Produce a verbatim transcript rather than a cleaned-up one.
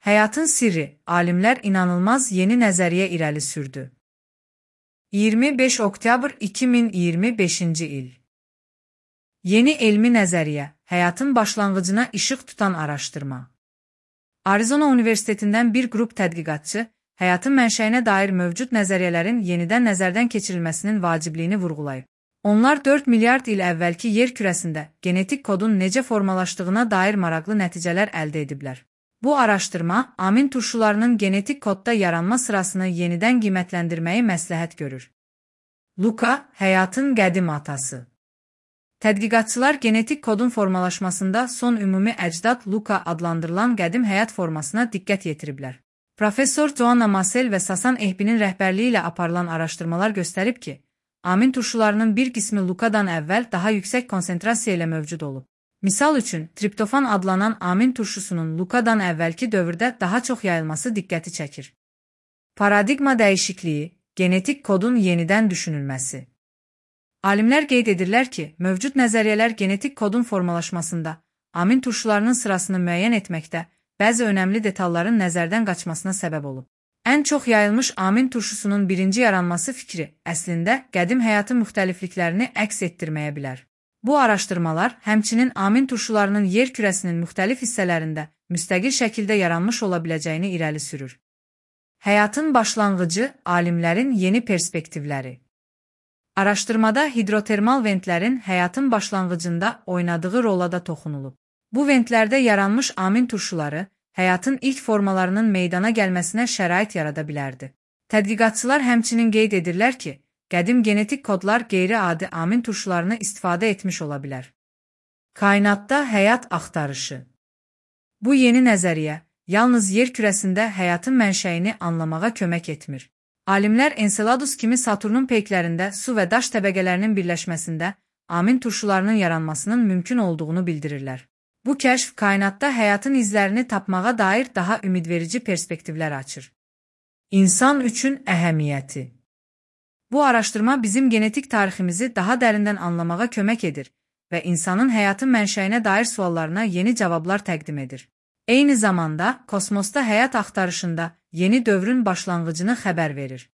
Həyatın sirri, alimlər inanılmaz yeni nəzəriyyə irəli sürdü. iyirmi beş oktyabr iki min iyirmi beşinci il. Yeni elmi nəzəriyyə, həyatın başlanğıcına işıq tutan araşdırma. Arizona Universitetindən bir qrup tədqiqatçı, həyatın mənşəyinə dair mövcud nəzəriyyələrin yenidən nəzərdən keçirilməsinin vacibliyini vurğulayıb. Onlar dörd milyard il əvvəlki yer kürəsində genetik kodun necə formalaşdığına dair maraqlı nəticələr əldə ediblər. Bu araşdırma, amin turşularının genetik kodda yaranma sırasını yenidən qiymətləndirməyi məsləhət görür. Luka, həyatın qədim atası. Tədqiqatçılar genetik kodun formalaşmasında son ümumi əcdad Luka adlandırılan qədim həyat formasına diqqət yetiriblər. Professor Joanna Masel və Sasan Ehbinin rəhbərliyi ilə aparılan araşdırmalar göstərib ki, amin turşularının bir qismi Lukadan əvvəl daha yüksək konsentrasiya ilə mövcud olub. Misal üçün, triptofan adlanan amin turşusunun Lukadan əvvəlki dövrdə daha çox yayılması diqqəti çəkir. Paradigma dəyişikliyi, genetik kodun yenidən düşünülməsi. Alimlər qeyd edirlər ki, mövcud nəzəriyyələr genetik kodun formalaşmasında, amin turşularının sırasını müəyyən etməkdə, bəzi önəmli detalların nəzərdən qaçmasına səbəb olub. Ən çox yayılmış amin turşusunun birinci yaranması fikri, əslində, qədim həyatın müxtəlifliklərini əks etdirməyə bilər. Bu araşdırmalar, həmçinin amin turşularının yer kürəsinin müxtəlif hissələrində müstəqil şəkildə yaranmış ola biləcəyini irəli sürür. Həyatın başlanğıcı, alimlərin yeni perspektivləri. Araşdırmada hidrotermal ventlərin həyatın başlanğıcında oynadığı rola da toxunulub. Bu ventlərdə yaranmış amin turşuları, həyatın ilk formalarının meydana gəlməsinə şərait yarada bilərdi. Tədqiqatçılar həmçinin qeyd edirlər ki, qədim genetik kodlar qeyri-adi amin turşularını istifadə etmiş ola bilər. Kainatda həyat axtarışı. Bu yeni nəzəriyyə, yalnız yer kürəsində həyatın mənşəyini anlamağa kömək etmir. Alimlər Enceladus kimi Saturnun peyklərində su və daş təbəqələrinin birləşməsində amin turşularının yaranmasının mümkün olduğunu bildirirlər. Bu kəşf kainatda həyatın izlərini tapmağa dair daha ümidverici perspektivlər açır. İnsan üçün əhəmiyyəti. Bu araşdırma bizim genetik tariximizi daha dərindən anlamağa kömək edir və insanın həyatın mənşəyinə dair suallarına yeni cavablar təqdim edir. Eyni zamanda, kosmosda həyat axtarışında yeni dövrün başlanğıcını xəbər verir.